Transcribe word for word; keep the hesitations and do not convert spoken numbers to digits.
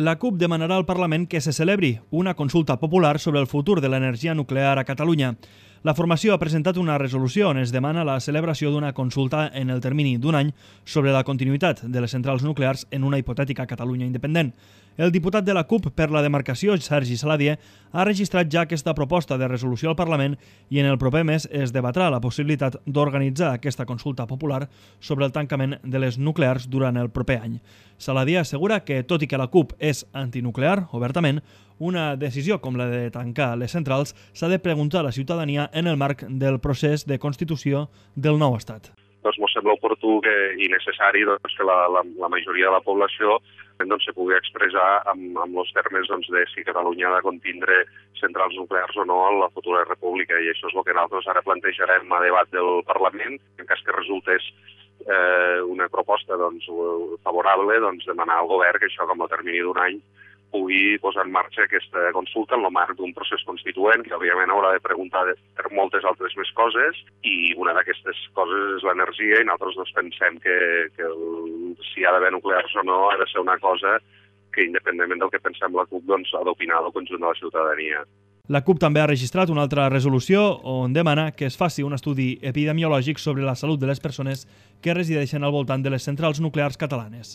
La CUP demanarà al Parlament que se celebri una consulta popular sobre el futur de l'energia nuclear a Catalunya. La formació ha presentat una resolució on es demana la celebració d'una consulta en el termini d'un any sobre la continuïtat de les centrals nuclears en una hipotètica Catalunya independent. El diputat de la CUP per la demarcació, Sergi Saladié, ha registrat ja aquesta proposta de resolució al Parlament i en el proper mes es debatrà la possibilitat d'organitzar aquesta consulta popular sobre el tancament de les nuclears durant el proper any. Saladié assegura que, tot i que la CUP és antinuclear, obertament, una decisió com la de tancar les centrals s'ha de preguntar a la ciutadania en el marc del procés de constitució del nou estat. Doncs ens sembla oportú que, i necessari doncs, que la, la, la majoria de la població doncs, se pugui expressar amb, amb els termes doncs, de si Catalunya ha de contindre centrals nuclears o no en la futura república, i això és el que nosaltres ara plantejarem a debat del Parlament. En cas que resultés eh, una proposta doncs, favorable, doncs, demanar al govern que això, com a termini d'un any, pugui posar en marxa aquesta consulta en el marc d'un procés constituent que òbviament haurà de preguntar per moltes altres més coses, i una d'aquestes coses és l'energia, i nosaltres doncs, pensem que, que el, si ha d'haver nuclears o no ha de ser una cosa que, independentment del que pensem la CUP, doncs, ha d'opinar el conjunt de la ciutadania. La CUP també ha registrat una altra resolució on demana que es faci un estudi epidemiològic sobre la salut de les persones que resideixen al voltant de les centrals nuclears catalanes.